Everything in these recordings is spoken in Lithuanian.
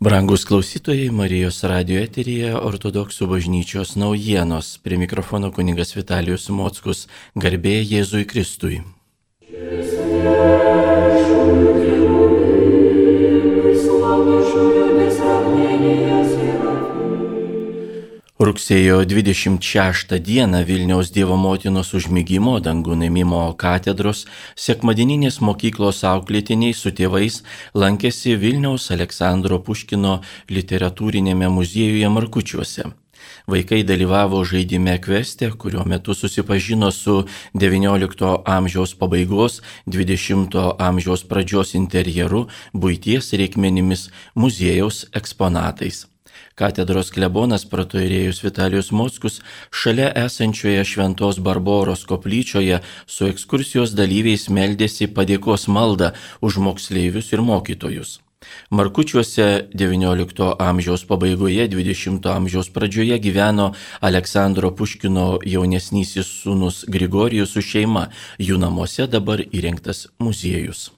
Brangus klausytojai, Marijos radijo eteryje Ortodoksų bažnyčios naujienos. Prie mikrofono kunigas Vitalijus Mockus. Garbė Jėzui Kristui. Rugsėjo 26 dieną Vilniaus Dievo Motinos užmigimo dangun ėmimo katedros sekmadieninės mokyklos auklėtiniai su tėvais lankėsi Vilniaus Aleksandro Puškino literatūrinėme muziejuje Markučiuose. Vaikai dalyvavo žaidime Kveste, kurio metu susipažino su XIX amžiaus pabaigos, XX amžiaus pradžios interjeru, buities reikmenimis, muziejaus eksponatais. Katedros klebonas protoierėjus Vitalijus Mockus šalia esančioje Šventos Barboros koplyčioje su ekskursijos dalyviais meldėsi padėkos maldą už moksleivius ir mokytojus. Markučiuose XIX amžiaus pabaigoje, XX amžiaus pradžioje gyveno Aleksandro Puškino jaunesnysis sūnus Grigorijus su šeima, jų namuose dabar įrengtas muziejus.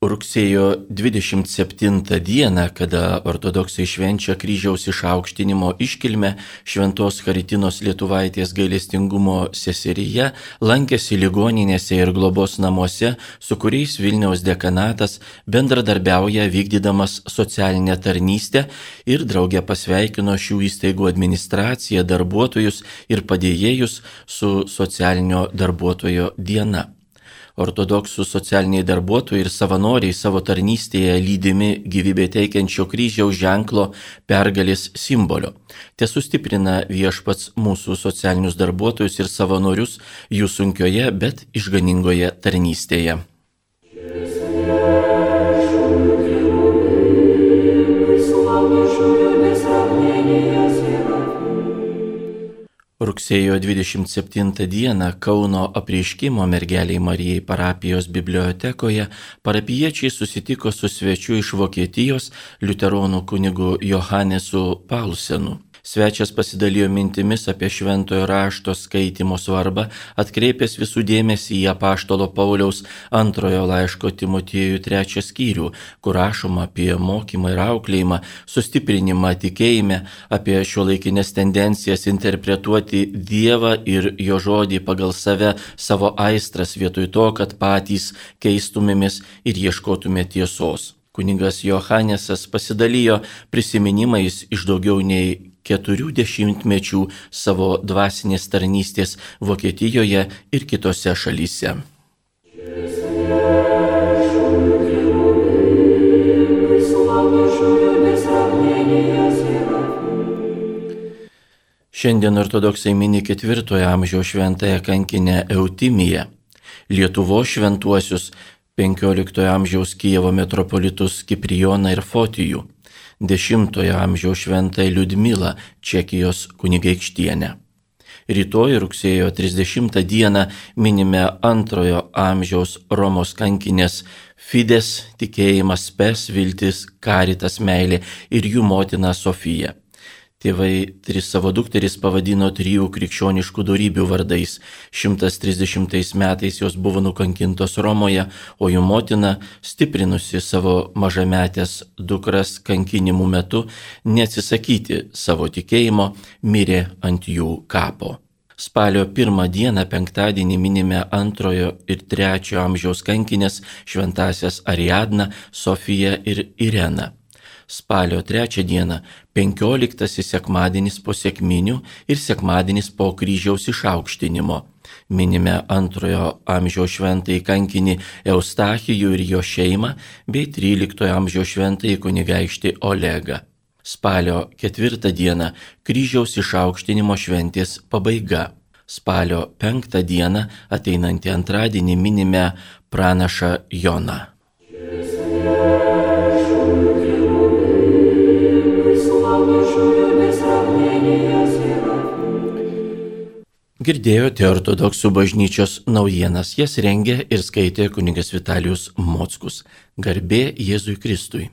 Rugsėjo 27 dieną, kada ortodoksai švenčia kryžiaus išaukštinimo iškilmę, Šventos Charitinos Lietuvaitės gailestingumo seseryje lankėsi ligoninėse ir globos namuose, su kuriais Vilniaus dekanatas bendradarbiauja vykdydamas socialinę tarnystę ir drauge pasveikino šių įstaigų administraciją, darbuotojus ir padėjėjus su socialinio darbuotojo diena. Ortodoksų socialiniai darbuotojai ir savanoriai savo tarnystėje lydimi gyvybę teikiančio kryžiaus ženklo pergalės simbolio. Te sustiprina Viešpats mūsų socialinius darbuotojus ir savanorius jų sunkioje, bet išganingoje tarnystėje. Rugsėjo 27 dieną Kauno Apreiškimo Mergelei Marijai parapijos bibliotekoje parapijiečiai susitiko su svečiu iš Vokietijos liuteronų kunigu Johanesu Paulsenu. Svečias pasidalijo mintimis apie šventojo rašto skaitymo svarbą, atkreipęs visų dėmesį į apaštalo Pauliaus antrojo laiško Timotiejui 3 skyrių, kur rašoma apie mokymą ir auklėjimą, sustiprinimą tikėjime, apie šiuolaikinės tendencijas interpretuoti Dievą ir jo žodį pagal save, savo aistras, vietoj to, kad patys keistumėmės ir ieškotume tiesos. Kunigas Johanesas pasidalijo prisiminimais iš daugiau nei 40 mečių savo dvasinės tarnystės Vokietijoje ir kitose šalyse. Šiandien ortodoksai mini 4 amžiaus šventąją kankinę Eutimiją, Lietuvos šventuosius 15 amžiaus Kijevo metropolitus Kiprijoną ir Fotijų, 10 amžiaus šventąją Liudmilą, Čekijos kunigaikštienę. Rytoj rugsėjo 30 dieną minime 2 amžiaus Romos kankinės Fides, tikėjimas, spes, viltis, karitas, meilė ir jų motina Sofija. Tėvai 3 savo dukteris pavadino 3 krikščioniškų dorybių vardais. 130 metais jos buvo nukankintos Romoje, o jų motina, stiprinusi savo mažametės dukras kankinimų metu, neatsisakyti savo tikėjimo, mirė ant jų kapo. Spalio 1 dieną, penktadienį, minime 2 ir 3 amžiaus kankinės šventąsias Ariadną, Sofiją ir Ireną. Spalio 3 dieną, 15 sekmadienis po sekminių ir sekmadienis po kryžiaus išaukštinimo. Minime 2 amžiaus šventąjį kankinį Eustachijų ir jo šeimą bei 13 amžiaus šventąjį kunigaikštį Olegą. Spalio 4 dieną, kryžiaus išaukštinimo šventės pabaiga. Spalio 5 dieną, ateinantį antradienį, minime pranašą Joną. Girdėjote ortodoksų bažnyčios naujienas, jas rengė ir skaitė kunigas Vitalijus Mockus. Garbė Jėzui Kristui.